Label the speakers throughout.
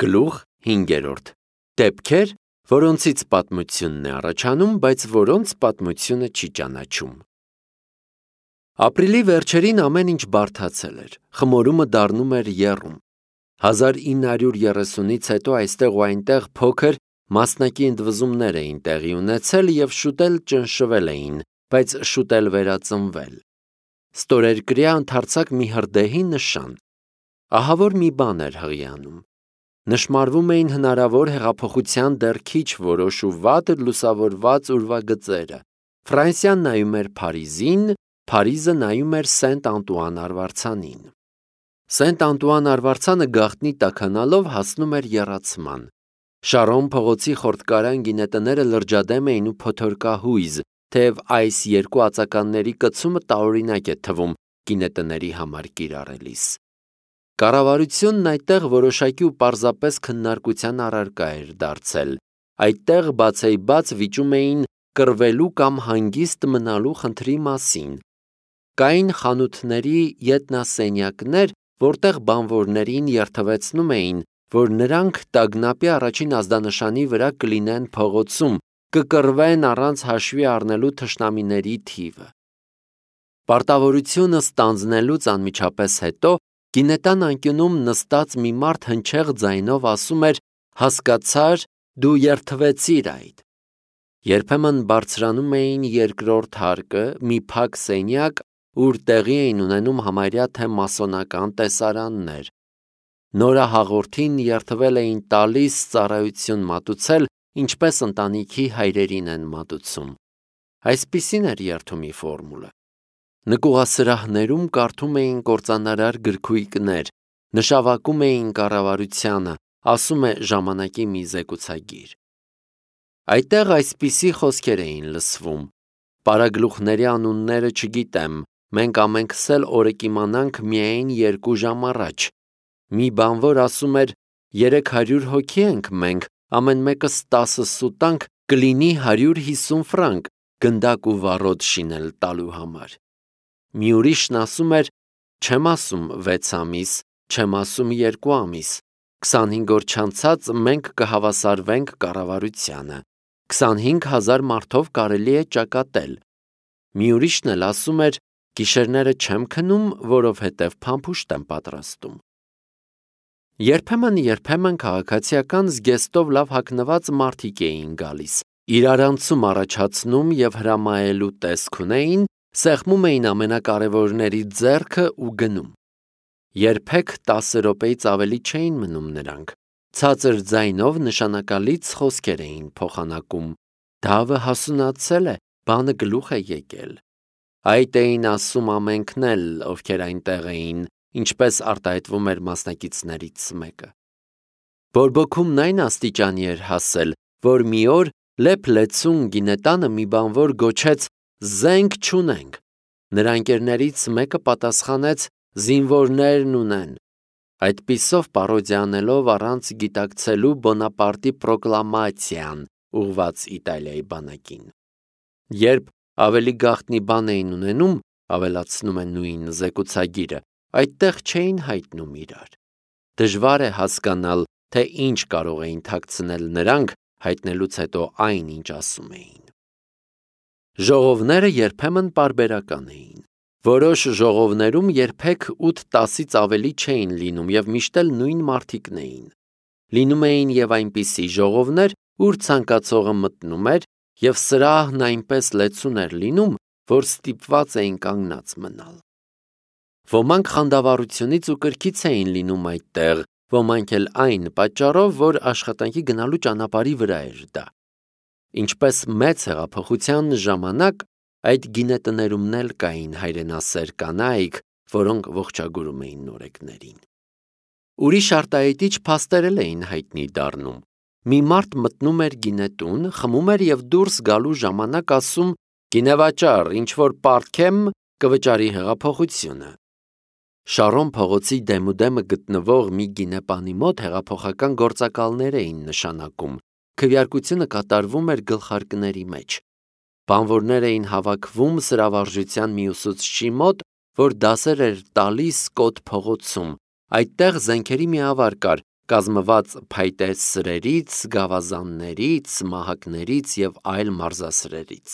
Speaker 1: Գլուխ 5. Դեպքեր, որոնցից պատմությունն է առաջանում, բայց որոնց պատմությունը չի ճանաչում։ Ապրիլի վերջերին ամեն ինչ բարդացել էր, խմորումը դառնում էր եռում։ 1930-ից հետո այստեղ ու այնտեղ փոքր մասնակի ընդվզումներ էին տեղի ունեցել և շուտ էլ ճնշվել էին, բայց շուտ էլ վերածնվել։ Ստորերկրյա ընդարձակ մի հրդեհի նշան։ Ահավոր մի բան էր հղիանում։ Նշմարվում էին հնարավոր հեղափոխության դեռ քիչ որոշ ու վատ լուսավորված ուրվագծերը։ Ֆրանսիան նայում էր Փարիզին, Փարիզը նայում էր Սենտ Անտուան արվարձանին։ Սենտ Անտուան արվարձանը գաղտնի տաքանալով հասնում էր եռացման։ Շարոն փողոցի խորտկարան գինետները լրջադեմ էին ու փոթորկահույզ, թեև այս երկու ածականների կցումը տարօրինակ է թվում գինետների համար կիրառելիս։ Կառավարությունն այդտեղ որոշակի ու պարզապես քննարկության առարկա էր դարձել։ Այդտեղ բացեիբաց վիճում էին կռվելու կամ հանգիստ մնալու խնդրի մասին։ Կային խանութների ետնասենյակներ, որտեղ բանվորներին երթվեցնում էին, որ նրանք տագնապի առաջին ազդանշանի վրա կլինեն փողոցում, կկռվեն առանց հաշվի առնելու թշնամիների թիվը։ Պարտավորությունը ստանձնելուց անմիջապես հետո գինետան անկյունում նստած մի մարդ հնչեղ ձայնով ասում էր. «Հասկացար, դու երդվեցիր այդ»։ Երբեմն բարձրանում էին երկրորդ հարկը, մի փակ սենյակ, ուր տեղի էին ունենում համարյա թե մասոնական տեսարաններ։ Նորահաղորդին երդվել էին տալիս ծառայություն մատուցել, ինչպես ընտանիքի հայրերին են մատուցում։ Այսպիսին էր երդումի ֆորմուլը։ Նկուղասրահներում կարդում էին կործանարար գրքույկներ, նշավակում էին կառավարությանը, ասում է ժամանակի մի զեկուցագիր։ Այդտեղ այսպիսի խոսքեր էին լսվում. «Պարագլուխների անունները չգիտեմ, մենք ամենքս էլ օրը կիմանանք միայն 2 ժամ առաջ»։ Մի բանվոր ասում էր. «300 հոգի ենք մենք, ամեն մեկս 10 սուտանկ, կլինի 150 ֆրանկ, գնդակ ու վառոդ շինել տալու համար»։ Մի ուրիշն ասում էր. «Չեմ ասում 6 ամիս, չեմ ասում 2 ամիս, 25 օր չանցած մենք կհավասարվենք կառավարությանը, 25,000 մարդով կարելի է ճակատել»։ Մի ուրիշն էլ ասում էր. «Գիշերները չեմ քնում, որովհետև փամփուշտ եմ պատրաստում»։ Երբեմն քաղաքացիական զգեստով լավ հագնված մարդիկ էին գալիս, իրարանցում առաջացնում և հրամայելու տեսք ունեին, սեղմում էին ամենակարևորների ձեռքը ու գնում։ Երբեք 10 րոպեից ավելի չէին մնում նրանք։ Ցածր ձայնով նշանակալից խոսքեր էին փոխանակում. «Դավը հասունացել է, բանը գլուխ է եկել»։ Այդ էին ասում ամենքն էլ, ովքեր այնտեղ էին, ինչպես արտահայտվում էր մասնակիցներից մեկը։ Բորբոքումն այն աստիճանի էր հասել, որ մի օր լեփ-լեցուն գինետանը մի բանվոր գոչեց. «Զենք չունենք»։ Նրա ընկերներից մեկը պատասխանեց. «Զինվորներն ունեն»։ Այդպիսով պարոդիա անելով առանց գիտակցելու Բոնապարտի պրոկլամացիան ուղղված Իտալիայի բանակին։ Երբ ավելի գաղտնի բան էին ունենում, ավելացնում է նույն զեկուցագիրը, այդտեղ չէին հայտնում իրար։ Դժվար է հասկանալ, թե ինչ կարող էին թաքցնել նրանք հայտնելուց հետո այն, ինչ ասում էին։ Ժողովները երբեմն պարբերական էին։ Որոշ ժողովներում երբեք 8-10-ից ավելի չէին լինում և միշտ էլ նույն մարդիկն էին։ Լինում էին և այնպիսի ժողովներ, ուր ցանկացողը մտնում էր, և սրահն այնպես լեցուն էր լինում, որ ստիպված էին կանգնած մնալ։ Ոմանք խանդավառությունից ու կրքից էին լինում այդտեղ, ոմանք էլ այն պատճառով, որ աշխատանքի գնալու ճանապարհի վրա էր դա։ Ինչպես մեծ հեղափոխության ժամանակ, այդ գինետներումն էլ կային հայրենասեր կանայք, որոնք ողջագուրում էին նորեկներին։ Ուրիշ արտահայտիչ փաստեր էլ էին հայտնի դառնում։ Մի մարդ մտնում էր գինետուն, խմում էր և դուրս գալու ժամանակ ասում. «Գինեվաճառ, ինչ-որ պարտքեմ, կվճարի հեղափոխությունը»։ Շարոն փողոցի դեմուդեմը գտնվող մի գինեպանի մոտ հեղափոխական գործակալներ էին նշանակում, քվեարկությունը կատարվում էր գլխարկների մեջ։ Բանվորներ էին հավաքվում սրավարժության մի ուսուցչի մոտ, որ դասեր էր տալիս Կոտ փողոցում։ Այդտեղ զենքերի մի ավար կար, կազմված փայտե սրերից, գավազաններից, մահակներից և այլ մարզասրերից։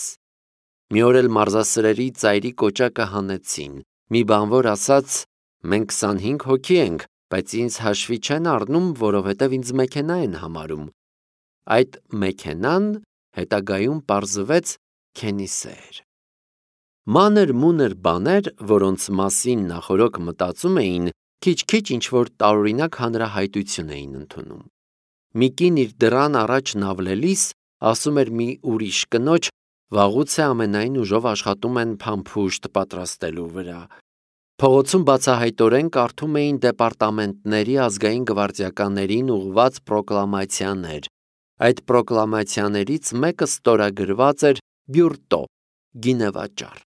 Speaker 1: Մի օր էլ մարզասրերի ծայրի կոճակը հանեցին, մի բանվոր ասաց. «Մենք 25 հոգի ենք, բայց ինձ հաշվի չեն առնում, որովհետև ինձ մեքենա են համարում»։ Այդ մեքենան հետագայում պարզվեց Քենիսե էր։ Մանր-մունր բաներ, որոնց մասին նախօրոք մտածում էին, քիչ-քիչ ինչ-որ տարօրինակ հանրահայտություն էին ընդունում։ Մի կին իր դռան առաջ նավլելիս ասում էր մի ուրիշ կնոջ. «Վաղուց է ամենայն ուժով աշխատում են փամփուշտ պատրաստելու վրա»։ Փողոցում բացահայտորեն կարդում էին դեպարտամենտների ազգային գվարդիականներին ուղղված պրոկլամացիաներ։ Այդ պրոկլամացիաներից մեկը ստորագրված էր բյուրտո գինեվաճառ։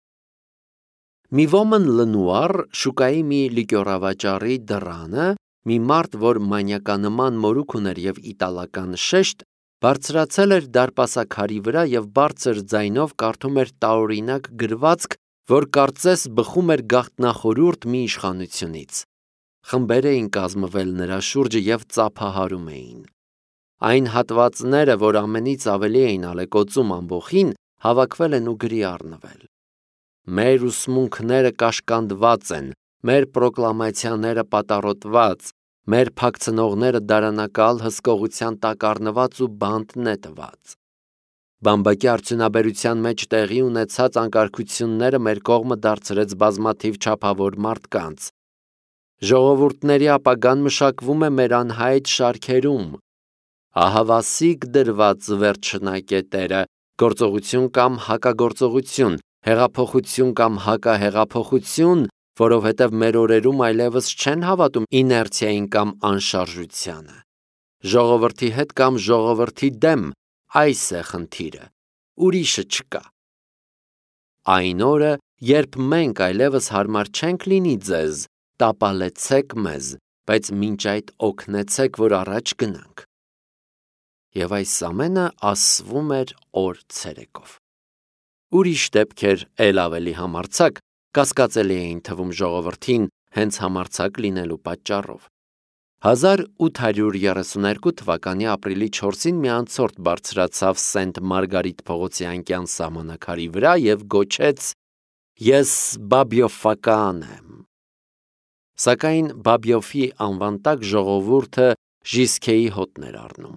Speaker 1: Մի ոմն Լնուար շուկայի մի լիկյորավաճառի դռանը մի մարդ, որ մանյականման մորուք ուներ և իտալական շեշտ, բարձրացել էր դարպասաքարի վրա և բարձր ձայնով կարդում էր տարօրինակ գրվածք, որ կարծես բխում էր գաղտնախորհուրդ մի իշխանությունից։ Խմբեր էին կազմվել նրա շուրջը և ծափահարում էին։ Այն հատվածները, որ ամենից ավելի էին ալեկոծում ամբոխին, հավաքվել են ու գրի առնվել։ Մեր ուսմունքները կաշկանդված են, մեր պրոկլամացիաները պատառոտված, մեր փակցնողները դարանակալ հսկողության տակ առնված ու բանտ նետված։ Բամբակի արդյունաբերության մեջ տեղի ունեցած անկարգությունները մեր կողմը դարձրեց բազմաթիվ չափավոր մարդկանց։ Ժողովուրդների ապագան մշակվում է մեր անհայտ շարքերում։ Ահավասիկ դրված վերջնակետերը, գործողություն կամ հակագործողություն, հեղափոխություն կամ հակահեղափոխություն, որովհետև մեր օրերում այլևս չեն հավատում իներցիային կամ անշարժությանը։ Ժողովրդի հետ կամ ժողովրդի դեմ, այս է խնդիրը, ուրիշը չկա։ Այն օրը, երբ մենք այլևս հարմար չենք լինի ձեզ, տապալեցեք մեզ, բայց մինչ այդ օգնեցեք, որ առաջ գնանք։ Եվ այս ամենը ասվում էր օր ցերեկով։ Ուրիշ դեպքեր էլ ավելի համարձակ կասկածելի էին թվում ժողովրդին հենց համարձակ լինելու պատճառով։ 1832 թվականի ապրիլի 4-ին մի անցորդ բարձրացավ Սենտ Մարգարիտ փողոցի անկյան սահմանակարի վրա և գոչեց. «Ես Բաբյոֆական եմ»։ Սակայն Բաբյոֆի անվան տակ ժողովուրդը Ժիսքեի հոտն էր առնում։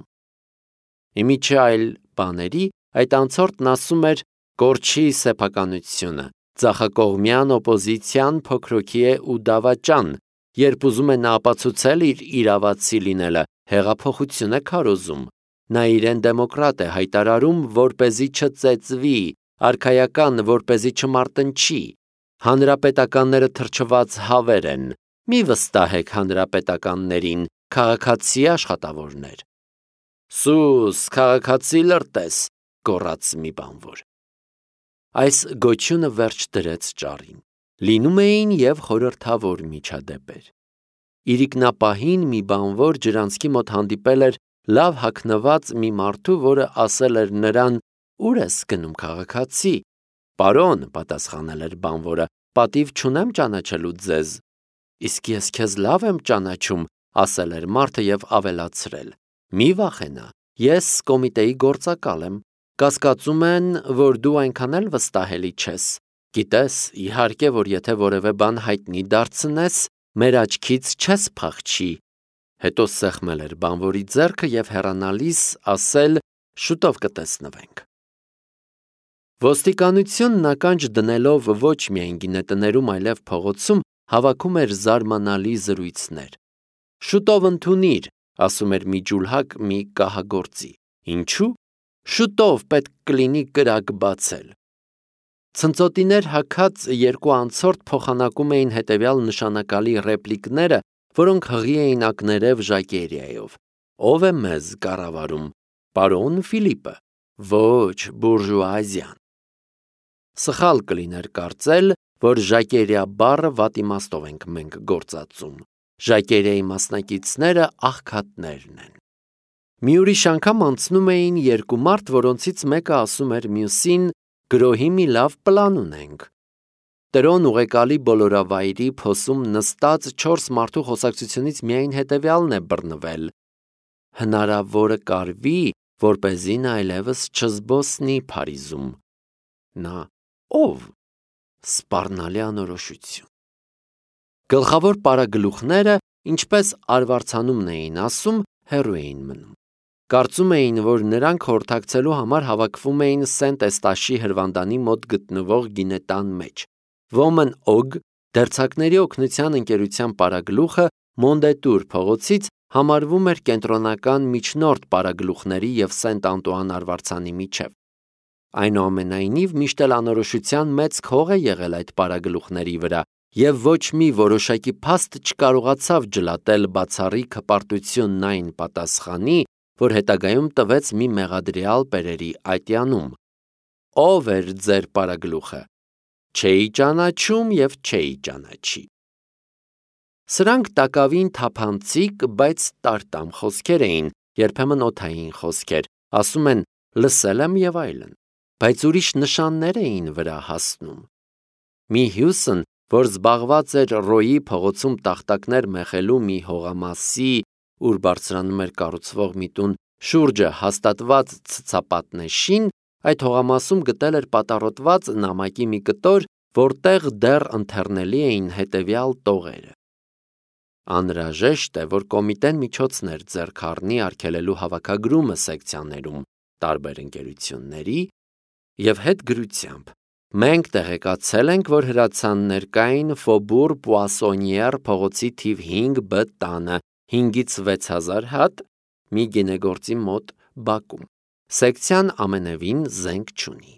Speaker 1: Իմիջի այլ բաների, այդ անցորդն ասում էր. «Կորչի սեփականությունը, ձախակողմյան օպոզիցիան փոքրոքի է ու դավաճան, երբ ուզում է նա ապացուցել իր իրավացի լինելը, հեղափոխություն է քարոզում, նա իրեն դեմոկրատ է հայտարարում, որպեսզի չծեծվի, արքայական, որպեսզի չմարտնչի, հանրապետականները թրջված հավեր են, մի վստահեք հանրապետականներին, քաղաքացի աշխատավորներ»։ «Սուս, քաղաքացի լրտես», գոռաց մի բանվոր։ Այս գոչյունը վերջ դրեց ճառին։ Լինում էին և խորհրդավոր միջադեպեր։ Իրիկնապահին մի բանվոր ջրանցքի մոտ հանդիպել էր լավ հագնված մի մարդու, որը ասել էր նրան. «Ուր ես գնում, քաղաքացի»։ «Պարոն», պատասխանել էր բանվորը, «պատիվ չունեմ ճանաչելու ձեզ»։ «Իսկ ես քեզ լավ եմ ճանաչում», ասել էր մարդը և ավելացրել. «Մի վախենա, ես կոմիտեի գործակալ եմ, կասկածում են, որ դու այնքան էլ վստահելի չես։ Գիտես, իհարկե, որ եթե որևէ բան հայտնի դարձնես, մեր աչքից չես փախչի»։ Հետո սեղմել էր բանվորի ձեռքը և հեռանալիս ասել. «Շուտով կտեսնվենք»։ Ոստիկանությունն ականջ դնելով ոչ միայն գինետներում, այլև փողոցում հավաքում էր զարմանալի զրույցներ։ «Շուտով ընդունիր», ասում էր մի ջուլհակ մի կահագործի։ «Ինչու»։ «Շուտով պետք կլինի կրակ բացել»։ Ցնծոտիներ հագած երկու անցորդ փոխանակում էին հետևյալ նշանակալի ռեպլիկները, որոնք հղի էին ակներև ժակերիայով։ «Ո՞վ է մեզ կառավարում»։ «Պարոն Ֆիլիպը»։ «Ոչ, բուրժուազիան»։ Սխալ կլիներ կարծել, որ ժակերիա բառը վատ իմաստով ենք մենք գործածում։ Ժակերիայի մասնակիցները աղքատներն են։ Մի ուրիշ անգամ անցնում էին երկու մարդ, որոնցից մեկը ասում էր մյուսին. «Գրոհի մի լավ պլան ունենք»։ Տրոն ուղեկալի բոլորավայրի փոսում նստած 4 մարդու խոսակցությունից միայն հետևյալն է բռնվել. հնարավորը կարվի, որպեսզի նա այլևս չզբոսնի Փարիզում։ Նա ով? Սպառնալի անորոշություն։ Գլխավոր պարագլուխները, ինչպես արվարձանումն էին ասում, հեռու էին մնում։ Կարծում էին, որ նրանք խորհրդակցելու համար հավաքվում էին Սենտ-Էստաշի հրվանդանի մոտ գտնվող գինետան մեջ։ Ոմն օգ, դերձակների օգնության ընկերության պարագլուխը Մոնդետուր փողոցից համարվում էր կենտրոնական միջնորդ պարագլուխների և Սենտ-Անտուան արվարձանի միջև։ Այնուամենայնիվ, միշտ էլ անորոշության մեծ քող է եղել այդ պարագլուխների վրա, և ոչ մի որոշակի փաստ չկարողացավ ջլատել բացառիկ հպարտությունն այն պատասխանի, որ հետագայում տվեց մի մեղադրյալ Պերերի ատյանում։ Ո՞վ էր ձեր պարագլուխը։ Չէի ճանաչում և չէի ճանաչի։ Սրանք տակավին թափանցիկ, բայց տարտամ խոսքեր էին, երբեմն օդային խոսքեր, ասում են լսել եմ և այլն, բայց ուրիշ նշաններ էին վրա հասնում։ Մի հյուսն, որ զբաղված էր Ռոյի փողոցում տախտակներ մեխելու մի հողամասի, ուր բարձրանում էր կառուցվող մի տուն շուրջը հաստատված ցցապատնեշին, այդ հողամասում գտել էր պատառոտված նամակի մի կտոր, որտեղ դեռ ընթեռնելի էին հետևյալ տողերը. Անհրաժեշտ է, որ կոմիտեն միջոցներ ձեռք առնի արգելելու հավաքագրումը սեկցիաներում տարբեր ընկերությունների և հետգրությամբ մենք տեղեկացել ենք, որ հրացաններ կային Ֆոբուր Պուասոնիեր փողոցի թիվ 5B տանը 5-ից 6000 հատ մի գինեգործի մոտ բակում։ Սեկցիան ամենևին զենք չունի։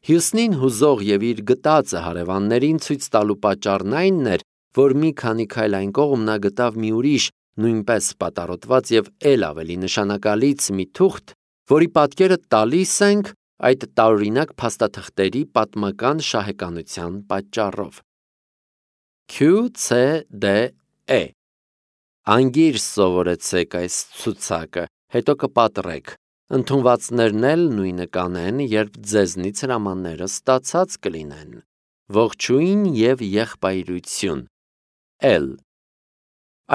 Speaker 1: Հյուսնին հուզող և իր գտածը հարևաններին ցույց տալու պատճառն այն էր, որ մի քանի քայլ այն կողմ նա գտավ մի ուրիշ, նույնպես պատառոտված և էլ ավելի նշանակալից մի թուղթ, որի պատկերը տալիս ենք այդ տարօրինակ փաստաթղթերի պատմական շահեկանության պատճառով։ QCDE Անգիր սովորեցեք այս ցուցակը, հետո կպատրեք, ընդունվածներն էլ նույնը կանեն, երբ ձեզնից հրամանները ստացած կլինեն։ Ողջույն և եղբայրություն L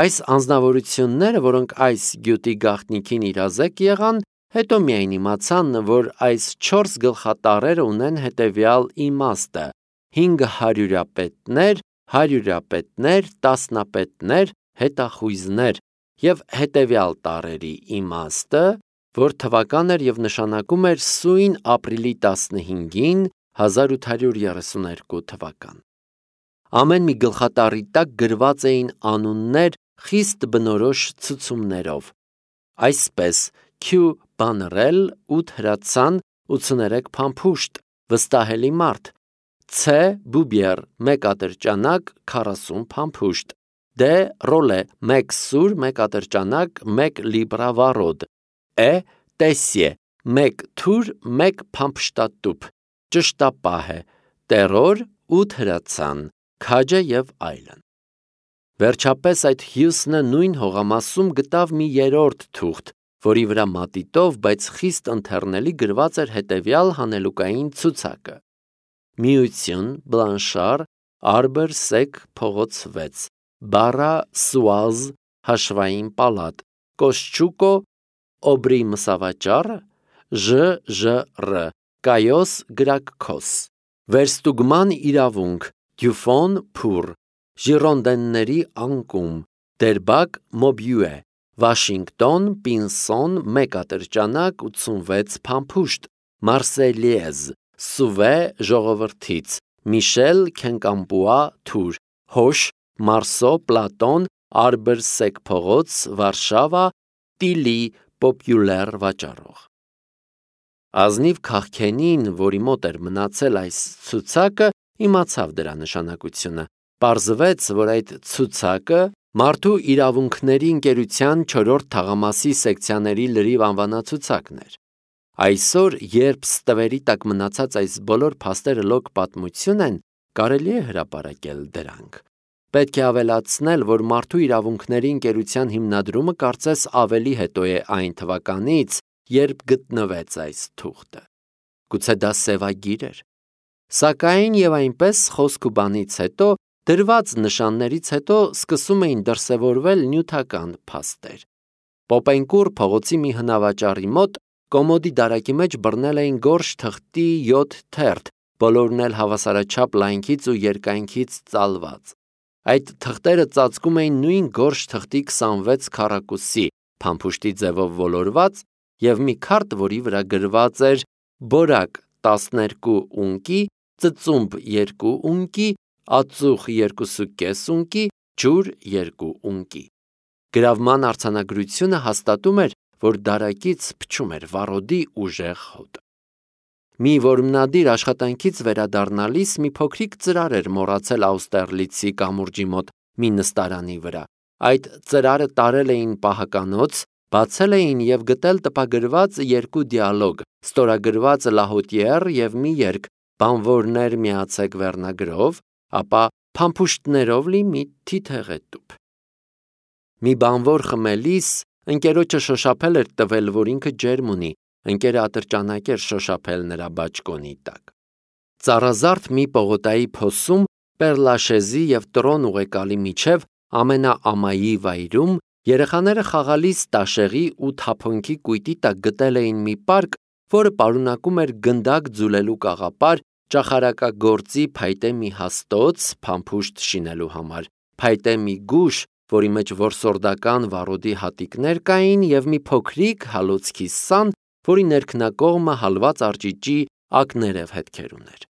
Speaker 1: Այս անձնավորությունները, որոնք այս գյուտի գաղտնիքին իրազեկ եղան, հետո միայն իմացան, որ այս 4 գլխատառերը ունեն հետևյալ իմաստը. 500-պետներ, 100-պետներ, տասնապետներ, հետախույզներ և հետևյալ տառերի իմաստը, որ թվական էր և նշանակում էր սույն ապրիլի 15-ին 1832 թվական։ Ամեն մի գլխատառի տակ գրված էին անուններ խիստ բնորոշ ցցումներով, այսպես Q բանռել 8 հրացան 83 փամփուշտ վստահելի մարդ, C բուբիեր 1 ատրճանակ 40 փամփուշտ, D ռոլե 1 սուր 1 ատրճանակ 1 լիբրավարոդ, E տեսիե 1 թուր 1 փամփշտատուփ, ճշտապահ է, տերոր 8 հրացան, քաջը և այլն։ Վերջապես այդ հյուսնը նույն հողամասում գտավ մի երրորդ թուղթ, որի վրա մատիտով, բայց խիստ ընթեռնելի գրված էր հետևյալ հանելուկային ցուցակը. Միություն, Բլանշար, Արբեր Սեք փողոց 6, Բարա Սուազ, հաշվային պալատ, Կոսչուկո, Օբրի մսավաճառ, ԺԺՌ, Կայոս գրակքոս, Վերստուգման իրավունք, Դյուֆոն Փուր, Ժիրոնդենների անկում, Դերբակ Մոբյուե, Վաշինգտոն Պինսոն 1 ատրճանակ 86 փամփուշտ, Մարսելիեզ, Սուվե ժողովրդից, Միշել Քենկամպուա Թուր, Հոշ, Մարսո Պլատոն, Արբեր Սեք փողոց, Վարշավա, Տիլի պոպյուլեր վաճառող։ Ազնիվ քաղքենին, որի մոտ էր մնացել այս ցուցակը, իմացավ դրա նշանակությունը։ Պարզվեց, որ այդ ցուցակը մարդու իրավունքների ընկերության 4-րդ թաղամասի սեկցիաների լրիվ անվանացուցակն էր։ Այսօր, երբ ստվերի տակ մնացած այս բոլոր փաստերը լոկ պատմություն են, կարելի է հրապարակել դրանք։ Պետք է ավելացնել, որ մարդու իրավունքների ընկերության հիմնադրումը կարծես ավելի հետո է այն թվականից, երբ գտնվեց այս թուղթը։ Գուցե դա սևագիր էր։ Սակայն եւ այնպես խոսք ու բանից հետո, դրված նշաններից հետո սկսում էին դրսևորվել նյութական փաստեր։ Պոպենկուր փողոցի մի հնավաճառի մոտ կոմոդի դարակի մեջ բռնել էին գորշ թղթի 7 թերթ, բոլորն էլ հավասարաչափ լայնքից ու երկայնքից ծալված։ Այդ թղթերը ծածկում էին նույն գորշ թղթի 26 քառակուսի, փամփուշտի ձևով ոլորված եւ մի քարտ, որի վրա գրված էր բորակ 12 ունկի, ծծումբ 2 ունկի, ածուխ 2.5 ունկի, ջուր 2 ունկի։ Գրավման արձանագրությունը հաստատում էր, որ դարակից փչում էր վառոդի ուժեղ հոտ։ Մի որմնադիր աշխատանքից վերադառնալիս մի փոքրիկ ծրար էր մոռացել Աուստերլիցի կամուրջի մոտ մի նստարանի վրա։ Այդ ծրարը տարել էին պահականոց, բացել էին եւ գտել տպագրված 2 դիալոգ, ստորագրված Լահոտիեր եւ մի երգ, բանվորներ միացեք վերնագրով, ապա փամփուշտներով լի մի թիթեղետուփ։ Մի բանվոր խմելիս ընկերոջը շոշափել էր տվել, որ ինքը ջերմ ունի, ընկերը ատրճանակ էր շոշափել նրա բաճկոնի տակ։ Ծառազարդ մի պողոտայի փոսում Պերլաշեզի եւ Տրոն ուղեկալի միջև ամենաամայի վայրում երեխաները խաղալիս տաշեղի ու թափոնքի կույտի տակ գտել էին մի պարկ, որը պարունակում էր գնդակ ձուլելու կաղապար, ճախարակագործի փայտե մի հաստոց փամփուշտ շինելու համար, փայտե մի գուշ, որի մեջ որսորդական վառոդի հատիկներ կային եւ մի փոքրիկ հալոցքի սան, որի ներքնակողմը հալված արճիճի ակներև հետքեր ուներ։